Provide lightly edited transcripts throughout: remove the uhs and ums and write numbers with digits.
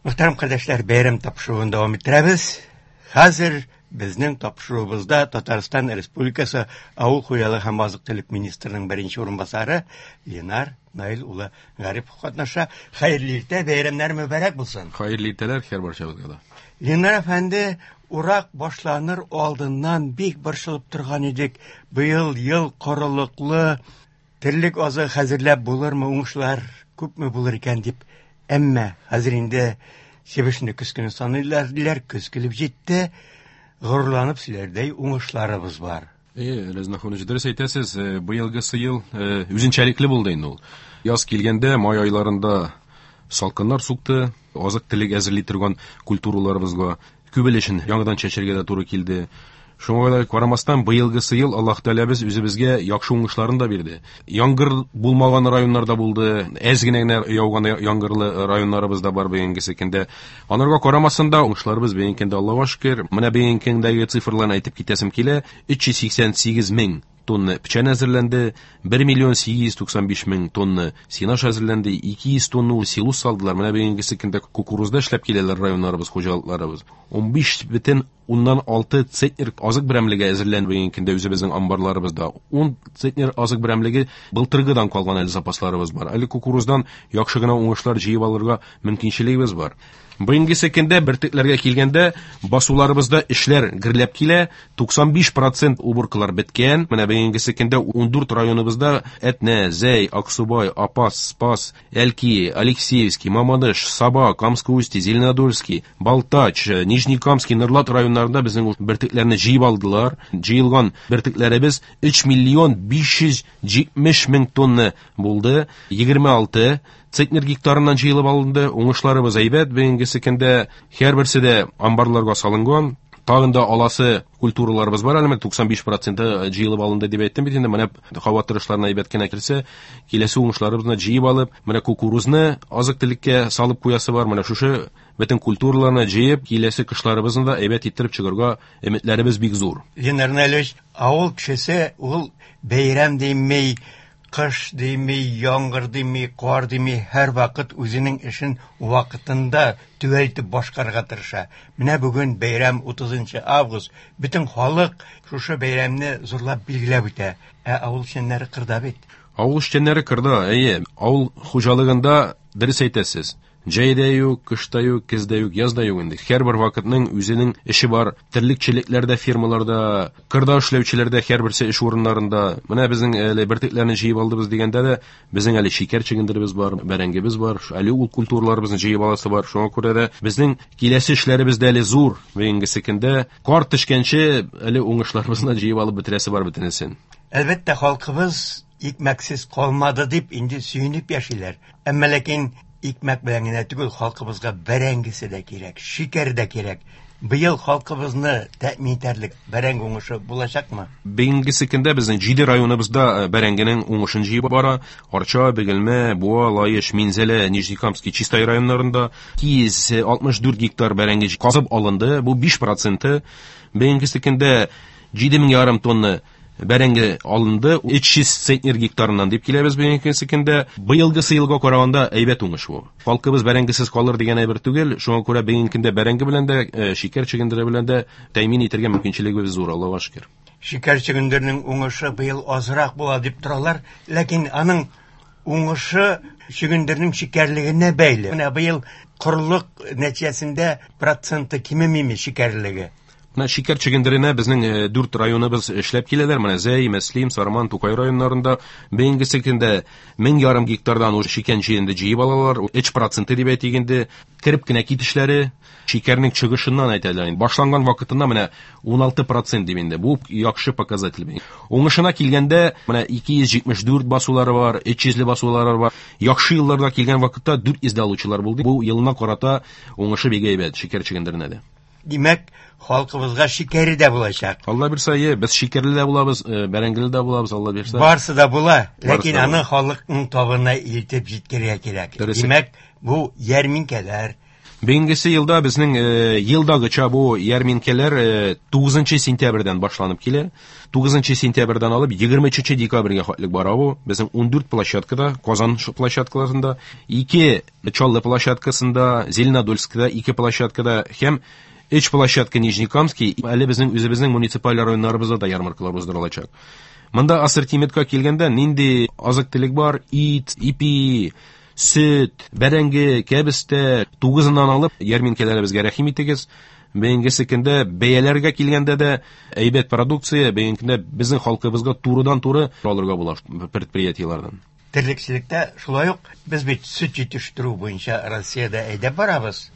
Мөхтәрәм кардәшләр, бәйрәм тапшыруын дәвам иттерәбез. Хәзер безнең тапшыруыбызда Татарстан Республикасы Авыл хуҗалыгы һәм азык-төлек министрының беренче урынбасары Ленар Наил улы Гарипов катнаша. Хәерле иртә, бәйрәмнәр мөбарәк булсын. Хәерле иртәләр һәр барчабызга да. Ленар әфәнде, урак башланыр алдыннан бик борчылып торган идек. Быел ел корылыклы, терлек азыгы хәзерләп булырмы, уңышлар күпме булыр икән дип. Әмма хәзер инде чебешне көз көне саныйлар, диләр, көз килеп җитте. Горурланып сөйләрдәй уңышларыбыз бар. Әйе, Рәз Нахунович, дөрес әйтәсез, быелгысы ел үзенчәлекле булды инде ул. Яз килгәндә, май айларында салкыннар сукты, азык-төлек әзерли торган культураларыбызга күп өлешен яңадан чәчәргә дә туры килде. Шуңа да карамастан, быелгысы ел Аллаһ Тәгаләбез үзебезгә яхшы уңышларын да бирде. Яңгыр булмаган районнарда булды, әз генә генә яуган яңгырлы районнарыбыз да бар бүгенгесе көндә. Анарга карамастан да уңышларыбыз бүгенге көндә Аллаһка шөкер. Менә бүгенге көндәге цифрларны әйтеп китәсем килә. 388 мең тонна печән әзерләнде, 1 миллион 895 мең тонна сенаж әзерләнде, 200 тонна ул силос салдылар. Менә бүгенгесе көндә кукурузда эшләп киләләр районнарыбыз, хуҗалыкларыбыз. 15 бөтен уннан алты центнер азык берәмлеге әзерләнде бүгенге көндә үзебезнең амбарларыбызда. 10 центнер азык берәмлеге былтыргыдан калган әле запасларыбыз бар. Әле кукуруздан яхшы гына уңышлар җыеп алырга мөмкинчелегебез бар. Бүгенгесе көндә бөртекләргә килгәндә басуларыбызда эшләр гөрләп килә. 95% уборкалар беткән. Менә бүгенгесе көндә 14 районыбызда Әтнә, Зәй, Аксубай, Апас, Спас, Әлки, Алексеевский, Мамадыш, Саба, Камск Устье, Зеленодольский, Балтач, Нижнекамский, Нурлат районнарында безнең бөртекләрне җыеп алдылар. Җыелган бөртекләребез 3 миллион 570 мең тонна булды. 26 центнер гектарыннан җыелып алынды. Уңышларыбыз әйбәт. Бүгенгесе көндә һәрберсе дә амбарларга салынган. Тагын да аласы культураларыбыз бар әле, 95% җыелып алынды дип әйттем бит инде. Менә һава торышларына әйбәт кенә килсә, киләсе уңышларыбызны җыеп алып, менә кукурузны азык-төлеккә салып куясы бар. Менә шушы бөтен культураларны җыеп, киләсе кышларыбызны да әйбәт иттереп чыгарга өметләребез бик зур. Ленар Наилевич, авыл кешесе ул бәйрәм дими, кыш дими, яңгыр дими, кар дими, һәрвакыт үзенең эшен вакытында төгәл итеп башкарырга тырыша. Менә бүген бәйрәм 30 август. Бөтен халык шушы бәйрәмне зурлап билгеләп үтә. Ә авыл эшчәннәре кырда бит. Авыл эшчәннәре кырда, әйе. Авыл хуҗалыгында дөрес әйтәсез. Җәй дә юк, кыш та юк, көз дә юк, яз да юк инде. Һәрбер вакытның үзенең эше бар. Терлекчелекләрдә, фермаларда, кырда эшләүчеләрдә һәрберсе эш урыннарында. Менә безнең әле бөртекләрне җыеп алдыбыз дигәндә дә, безнең әле шикәр чөгендеребез бар, бәрәңгебез бар, әле ул культураларыбызны җыеп аласы бар. Шуңа күрә дә безнең киләсе эшләребез дә әле зур. Бүгенгесе көндә кар төшкәнче әле уңышларыбызны җыеп алып бетерәсе бар бөтенесен. Әлбәттә, халкыбыз икмәксез калмады дип инде сөенеп яшиләр. Әмма ләкин икмәк белән генә түгел, халкыбызга бәрәңгесе дә кирәк, шикәр дә кирәк. Быел халкыбызны тәэмин итәрлек бәрәңге уңышы булачакмы? Бүгенгесе көндә безнең 7 районыбызда бәрәңгенең уңышын җыеп бара. Арча, Бөгелмә, Буа, Лаеш, Минзәлә, Нижнекамский, Чистай районнарында 264 гектар бәрәңге казып алынды. Бу 5%. Бүгенгесе көндә җиде мең ярым тонна бәрәңге алынды. 300 центнер гектарыннан дип киләбез бүгенге көндә. Быелгысы елга караганда әйбәт уңыш бу. Халкыбыз бәрәңгесез калыр дигән әйбер түгел. Шуңа күрә бүгенге көндә бәрәңге белән дә, шикәр чөгендере белән дә тәэмин итәргә мөмкинчелегебез зур, Аллаһка шөкер. Шикәр чөгендеренең уңышы быел азрак була дип торалар, ләкин аның уңышы чөгендернең шикәрлегенә бәйле. Менә быел корылык нәтиҗәсендә проценты кимемиме шикәрлеге? Менә шикәр чөгендеренә безнең 4 районыбыз эшләп киләләр. Менә Зәй, Мөслим, Сарман, Тукай районнарында бүгенгесе көндә мең ярым гектардан ул шикәр чөгендере җыеп алалар. Өч проценты дип әйтик инде, кереп кенә китешләре шикәрнең чыгышыннан әйтәләр инде. Башланган вакытында менә 16% дип инде. Бу яхшы показатель. Уңышына килгәндә менә 274 басулары бар, 300 басулары бар. Яхшы елларда килгән вакытта 400 дә алучылар булды. Бу елына карата уңышы бик әйбәт шикәр чөгендеренә дә. Димәк, халкыбызга шикәре дә булачак. Алла бирсә, е, без шикәрле дә булабыз, бәрәңгеле дә булабыз, Алла бирсә. Барсы да була, Барсы ләкин да аны була. халыкның табына илтеп җиткерергә кирәк. Дөрес. Димәк, бу ярминкәләр. Бүгенгесе елда безнең елдагыча бу ярминкәләр 9 сентябрьдән башланып килә. 9 сентябрьдән алып 23 декабрьгә хәтлек бара бу. Безнең 14 площадкада, Казан площадкаларында, 2 Чаллы площадкасында, Зеленодольскда 2 площадкада һәм 3 площадка Нижнекамский, әле безнең үзебезнең муниципаль районнарыбызда да ярмаркалар уздырылачак. Монда ассортиментка килгәндә нинди азык-төлек бар? Ит, ипи, сөт, бәрәңге, кәбестә, 9-ыннан алып ярминкәләребезгә рәхим итегез. Бүгенгесе көндә бәяләргә килгәндә дә әйбәт продукция, бүгенге көндә безнең халкыбызга турыдан-туры алырга була предприятиеләрдән. Терлекчелектә шулай ук без бит сөт җитештерү буенча Россиядә әйдәп барабыз.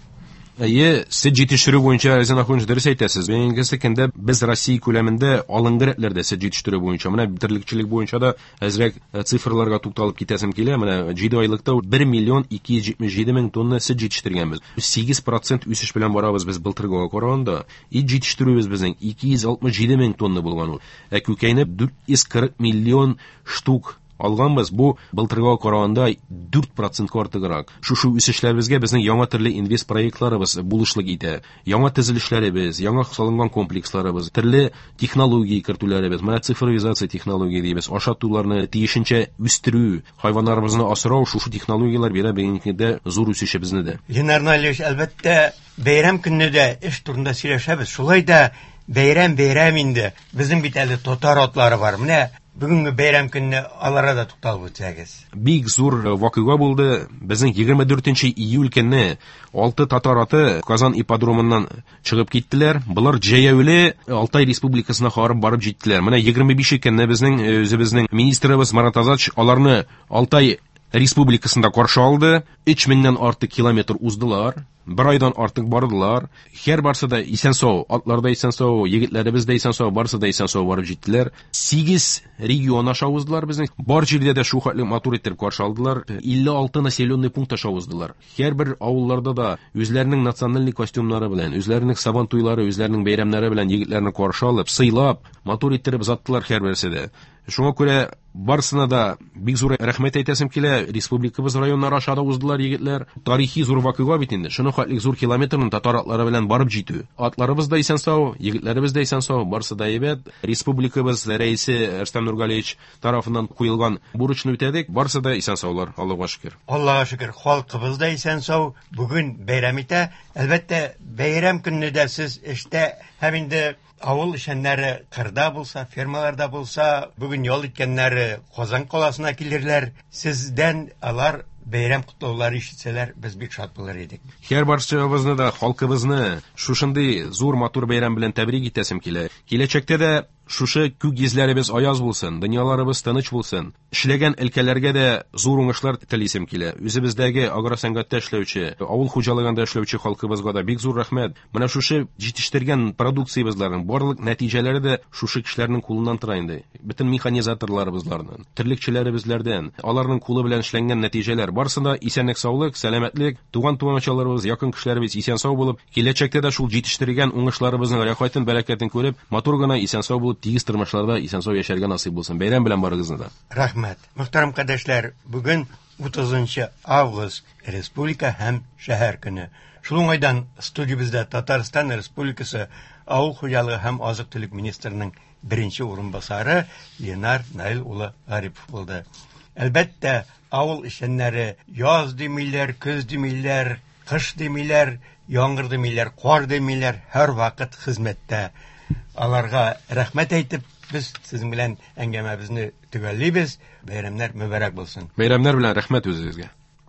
Әйе, сөт җитештерү буенча Рәзин Ахунович дөрес әйтәсез. Бүгенгесе көндә без Россия күләмендә алдынгы рәтләрдә сөт җитештерү буенча. Менә терлекчелек буенча да әзрәк цифрларга тукталып китәсем килә. Менә 7 айлыкта 1 миллион 277 мең тонна сөт җитештергәнбез. 8% үсеш белән барабыз без былтыргыга караганда. Ит җитештерүебез безнең 267 мең тонна булган ул. Ә күкәйне 440 миллион штук алганбыз. Бу былтыргыга караганда 4% артыграк. Шушы үсешләребезгә безнең яңа төрле инвест проектларыбыз булышлык итә. Яңа төзелешләребез, яңа салынган комплексларыбыз, төрле технология кертүләребез, менә цифровизация технология дибез, ашатуларны тиешенчә үстерү, хайваннарыбызны асрау, шушы технологияләр бирә бүгенге көндә зур үсешебезне дә. Ленар Наилевич, әлбәттә, бәйрәм көнне дә эш турында сөйләшәбез. Шулай да бәйрәм бәйрәм инде. Безнең бит әле татар атлары бар. Менә бүгенге бәйрәм көнне аларга да тукталып үтсәгез. Бик зур вакыйга булды. Безнең 24 июль көнне 6 татар аты Казан ипподромыннан чыгып киттеләр. Болар җәяүле Алтай республикасына барып барып җиттеләр. Менә 25 көнне безнең үзебезнең министрыбыз Марат Азатович аларны Алтай республикасында каршы алды. 3000-нән артык километр уздылар. Бер айдан артык бардылар. Һәр барсы да исән-сау, атлар да исән-сау, егетләребез дә исән-сау, барсы да исән-сау барып җиттеләр. 8 регион аша уздылар безнең. Бар җирдә дә шул хәтле матур итеп каршы алдылар. 56 населенный пункт аша уздылар. Һәрбер авылларда да үзләренең национальный костюмнары белән, үзләренең сабан туйлары, үзләренең бәйрәмнәре белән егетләрне каршы алып, сыйлап, матур иттереп озаттылар һәрберсе дә. Шуңа күрә барысына да бик зур рәхмәт әйтәсем килә. Республикабыз районнары аша да уздылар егетләр. Тарихи зур вакыйга бит инде. Шуның хәтле зур километрны татар атлары белән барып җитү. Атларыбыз да исән-сау, егетләребез дә исән-сау, барысы да әйбәт. Республикабыз рәисе Рөстәм Нургалиевич тарафыннан куелган бурычны үтәдек. Барысы да исән-саулар, Аллага шөкер. Аллага шөкер, халкыбыз да исән-сау. Бүген бәйрәм итә. Әлбәттә, бәйрәм көнне дә сез эштә һәм инде авыл эшчәннәре кырда булса, фермаларда булса, бүген ял иткәннәре Казан каласына килерләр. Сездән алар бәйрәм котлаулары ишетсәләр, без бик шат булыр идек. Һәр барчабызны да, халкыбызны шушындый зур матур бәйрәм белән тәбрик итәсем килә. Киләчәктә дә шушы күк йөзләребез аяз булсын, дөньяларыбыз тыныч булсын. Эшләгән өлкәләргә дә зур уңышлар телисем килә. Үзебездәге агросәнгатьтә эшләүче, авыл хуҗалыгында эшләүче халкыбызга да бик зур рәхмәт. Менә шушы җитештергән продукциябезләрнең барлык нәтиҗәләре дә шушы кешеләрнең кулыннан тора инде. Бөтен механизаторларыбызлардан, терлекчеләребезләрдән, аларның кулы белән эшләнгән нәтиҗәләр барысы да исәнлек, саулык, сәламәтлек, туган туганчаларыбыз, якын кешеләребез исән-сау булып, киләчәктә дә шул җитештергән уңышларыбызның рәхәтен, бәрәкәтен күреп, матур гына исән-сау булып, тигез тормышларда исән-сау яшәргә насыйп булсын. Бәйрәм белән барыгызны да. Рәхмәт. Мөхтәрәм кардәшләр, бүген 30 август Республика һәм шәһәр көне. Шул уңайдан студиябездә Татарстан Республикасы Авыл хуҗалыгы һәм азык-төлек министрының беренче урынбасары Ленар Наил улы Гарипов булды. Әлбәттә, авыл эшчәннәре яз димиләр, көз димиләр, кыш димиләр, яңгыр димиләр, кар димиләр, һәр вакыт хезмәттә. Аларга рәхмәт әйтеп, без сезнең белән әңгәмәбезне төгәллибез. Бәйрәмнәр мөбарәк булсын. Бәйрәмнәр белән рәхмәт үзегезгә.